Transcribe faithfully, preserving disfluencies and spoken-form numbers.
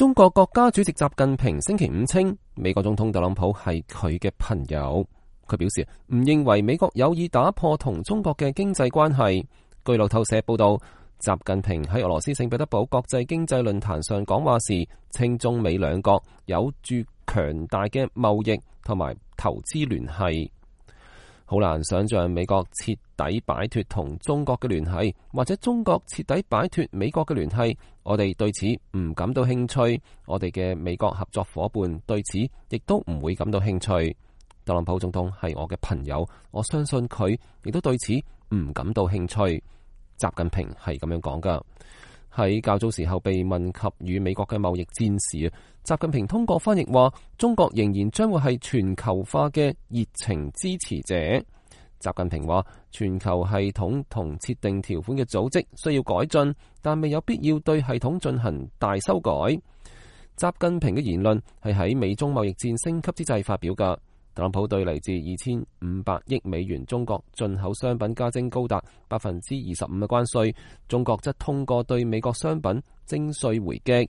中國國家主席習近平星期五稱，美國總統特朗普係佢嘅朋友。佢表示唔認為美國有意打破同中國嘅經濟關係。據路透社報道，習近平喺俄羅斯聖彼得堡國際經濟論壇上講話時，稱中美兩國有住強大嘅貿易同埋投資聯繫。好難想象美國徹底擺脫同中國嘅聯繫，或者中國徹底擺脫美國嘅聯繫。我哋對此唔感到興趣，我哋嘅美國合作夥伴對此亦都唔會感到興趣。特朗普總統係我嘅朋友，我相信佢亦都對此唔感到興趣。習近平係咁樣講噶。喺較早時候被問及與美國嘅貿易戰時，習近平通過翻譯話，中國仍然將會係全球化嘅熱情支持者。習近平話，全球系統同設定條款嘅組織需要改進，但未有必要對系統進行大修改。習近平嘅言論係喺美中貿易戰升級之際發表噶。特朗普對嚟自二千五百億美元中國進口商品加徵高達百分之二十五嘅關稅，中國則通過對美國商品徵稅回擊。